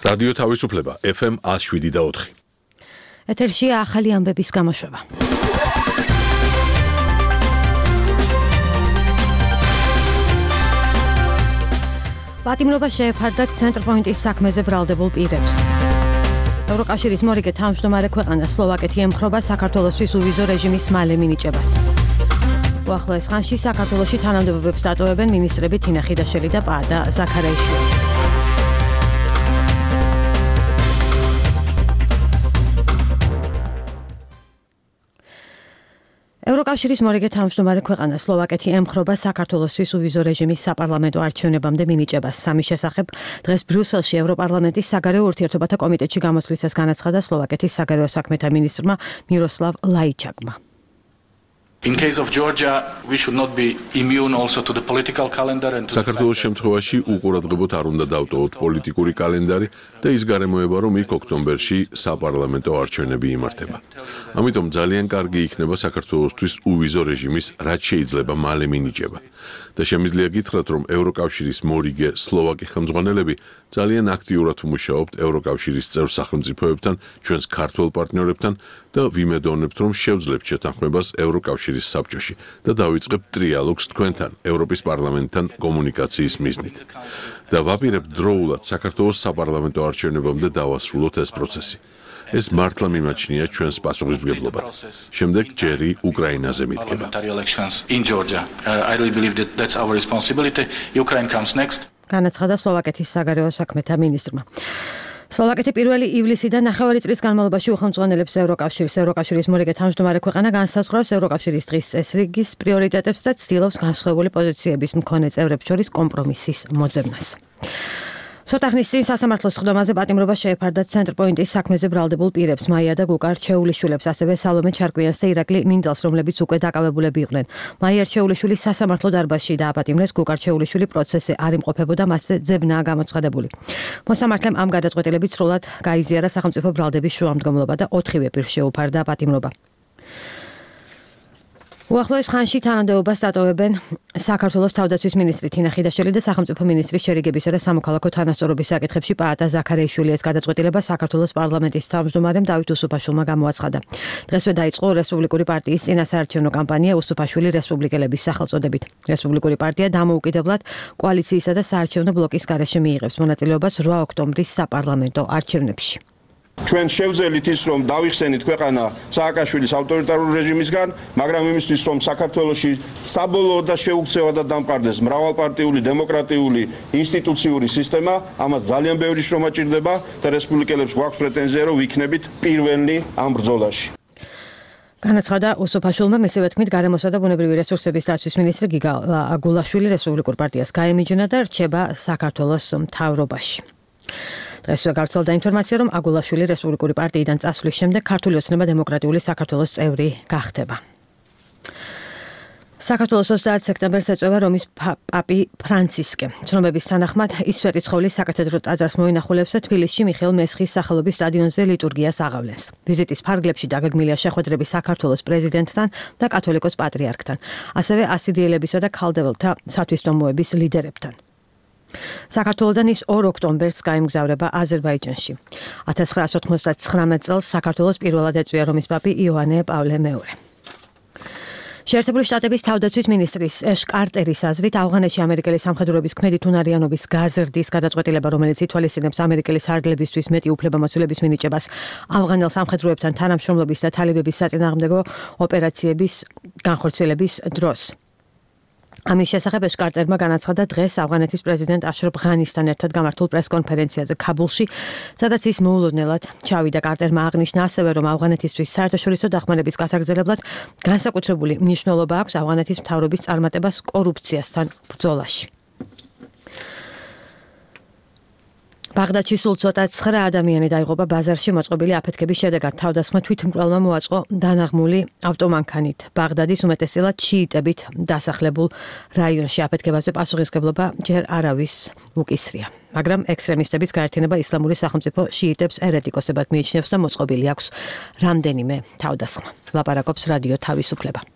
რადიო თავისუფლება FM 107.4. ეთერში ახალი ამბების გამოშვება. პატიმრობა შეეფარდა ცენტრპოინტის საქმეზე ბრალდებულ პირებს. ევროკავშირის მორიგე თავმჯდომარე ქვეყანა სლოვაკეთი ემხრობა საქართველოსთვის უვიზო რეჟიმის მალე მინიჭებას. უახლოეს ხანში საქართველოში თანამდებობებს დატოვებენ მინისტრები თინა ხიდაშელი და პაადა ზაქარაიშვილი. ევროკავშირის მორიგე თავმჯდომარე ქვეყანა სლოვაკეთი ემხრობა საქართველოსთვის უვიზო რეჟიმის საპარლამენტო არჩევნებამდე მინიჭებას. სამის შესახებ დღეს ბრიუსელში ევროპარლამენტის საგარეო ურთიერთობათა კომიტეტში გამოსვლისას განაცხადა სლოვაკეთის საგარეო საქმეთა მინისტრმა მიროსლავ ლაიჩაკმა. In case of Georgia, we should not be immune also to the political calendar and to საქართველოს შემთხვევაში უყურადღებოდ არ უნდა დავტოვოთ პოლიტიკური კალენდარი და ის გარემოება, რომ იქ ოქტომბერში საპარლამენტო არჩევნები იმართება. ამიტომ ძალიან კარგი იქნება საქართველოსთვის უვიზო რეჟიმის რაც შეიძლება მალე მინიჭება. და შემიძლია გითხრათ, რომ ევროკავშირის მორიგე სლოვაკი ხელმძღვანელები ძალიან აქტიურად მუშაობთ ევროკავშირის წევრ სახელმწიფოებთან, ჩვენს ქართველ პარტნიორებთან და ვიმედოვნებთ, რომ შევძლებთ შეთანხმებას ევროკავშირის საბჭოში და დავიწყებთ ტრიალოგს თქვენთან, ევროპის პარლამენტთან კომუნიკაციის მიზნით. და ვაპირებთ დროულად საქართველოს საპარლამენტო არჩევნებამდე დავასრულოთ ეს პროცესი. ეს მართლა მიმაჩნია ჩვენს პასუხისმგებლობად. შემდეგ ჯერი უკრაინაზე მიდგება. განაცხადა სლოვაკეთის საგარეო საქმეთა მინისტრმა. სლოვაკეთი 1 ივლისიდან 9 წლის განმავლობაში უხელმძღვანელებს ევროკავშირის მორიგე თავმჯდომარე ქვეყანა განსაზღვრავს ევროკავშირის დღის წესრიგის პრიორიტეტებს და ცდილობს განსხვავებული პოზიციების მქონე წევრებს შორის კომპრომისის მოძებნას. ცოტა ხნის წინ სასამართლოს სხდომაზე პატიმრობა შეეფარდა ცენტრპოინტის საქმეზე ბრალდებულ პირებს მაია და გუკა რჩეულიშვილებს, ასევე სალომე ჩარკვიანს და ირაკლი მინდალს, რომლებიც უკვე დაკავებულები იყვნენ. მაია რჩეულიშვილი სასამართლო დარბაზში დააპატიმრეს, გუკა რჩეულიშვილი პროცესზე არ იმყოფებოდა, მასზე ძებნაა გამოცხადებული. მოსამართლემ ამ გადაწყვეტილებით სრულად გაიზიარა სახელმწიფო ბრალდების შუამდგომლობა და 4-ვე პირს შეუფარდა პატიმრობა. უახლოეს ხანში თანამდებობას დატოვებენ საქართველოს თავდაცვის მინისტრი თინა ხიდაშელი და სახელმწიფო მინისტრის შერიგებისა და სამოქალაქო თანასწორობის საკითხებში პაატა ზაქარაიშვილი. ეს გადაწყვეტილება საქართველოს პარლამენტის თავმჯდომარემ დავით უსუფაშვილმა გამოაცხადა. დღესვე დაიწყო რესპუბლიკური პარტიის წინასაარჩევნო კამპანია უსუფაშვილი რესპუბლიკელების სახელწოდებით. რესპუბლიკური პარტია დამოუკიდებლად კოალიციისა და საარჩევნო ბლოკის გარეშე მიიღებს მონაწილეობას 8 ოქტომბრის საპარლამენტო არჩევნებში. ჩვენ შევძელით ის, რომ დავიხსენით ქვეყანა სააკაშვილის ავტორიტარული რეჟიმისგან, მაგრამ იმისთვის, რომ საქართველოში საბოლოოდ და შეუქცევად დამყარდეს მრავალპარტიული დემოკრატიული ინსტიტუციური სისტემა, ამას ძალიან ბევრი შრომა ჭირდება და რესპუბლიკელებს გვაქვს პრეტენზია, რომ ვიქნებით პირველნი ამ ბრძოლაში. განაცხადა უსუფაშვილმა, მისივე თქმით, გარემოსა და ბუნებრივი რესურსების დაცვის მინისტრი გიგა აგულაშვილი რესპუბლიკურ პარტიას გაემიჯნა და რჩება საქართველოს მთავრობაში. დღესვე გავრცელდა ინფორმაცია, რომ აგულაშვილი რესპუბლიკური პარტიიდან წასვლის შემდეგ ქართული ოცნება დემოკრატიული საქართველოს წევრი გახდება. საქართველოს 30 სექტემბერს ეწევა რომის პაპი ფრანცისკე. ცნობების თანახმად ის სვეტიცხოვლის საკათედრო ტაძარს მოინახულებს და თბილისში მიხეილ მესხის სახელობის სტადიონზე ლიტურგიას აღავლენს. ვიზიტის ფარგლებში დაგეგმილია შეხვედრები საქართველოს პრეზიდენტთან და კათოლიკოს პატრიარქთან, ასევე ასიდიელებისა და ქალდეველთა სათვისტომოების ლიდერებთან. საქართველოდან ის 2 ოქტომბერს გაემგზავრება აზერბაიჯანში. 1999 წელს საქართველოს პირველად ეწვია რომის პაპი იოანე პავლე მეორე. შეერთებული შტატების თავდაცვის მინისტრის ეშ კარტერის აზრით, ავღანეთში ამერიკელი სამხედროების ქმედით უნარიანობის გაზრდის გადაწყვეტილება, რომელიც ითვალისწინებს ამერიკელი სარდლებისთვის მეტი უფლებამოსილების მინიჭებას ავღანელ სამხედროებთან თანამშრომლობის და თალიბების საწინააღმდეგო ოპერაციების განხორციელების დროს. ამის შესახებ ეშ კარტერმა განაცხადა დღეს ავღანეთის პრეზიდენტ აშრაფ ღანისთან ერთად გამართულ პრესკონფერენციაზე ქაბულში, სადაც ის მოულოდნელად ჩავიდა. კარტერმა აღნიშნა ასევე, რომ ავღანეთისთვის საერთაშორისო დახმარების გასაგრძელებლად განსაკუთრებული მნიშვნელობა აქვს ავღანეთის მთავრობის წარმატებას კორუფციასთან ბრძოლაში. ბაღდადში სულ ცოტა 9 ადამიანი დაიღუპა ბაზარში მოწყობილი აფეთქების შედეგად. თავდასხმა თვითმკვლელმა მოაწყო დანაღმული ავტომანქანით. ბაღდადის უმეტესწილად შიიტებით დასახლებულ რაიონში აფეთქებაზე პასუხისმგებლობა ჯერ არავის უკისრია. მაგრამ ექსტრემისტების გაერთიანება ისლამური სახელმწიფო შიიტებს ერეტიკოსებად მიიჩნევს და მოწყობილი აქვს რამდენიმე თავდასხმა. ლაპარაკობს რადიო თავისუფლება.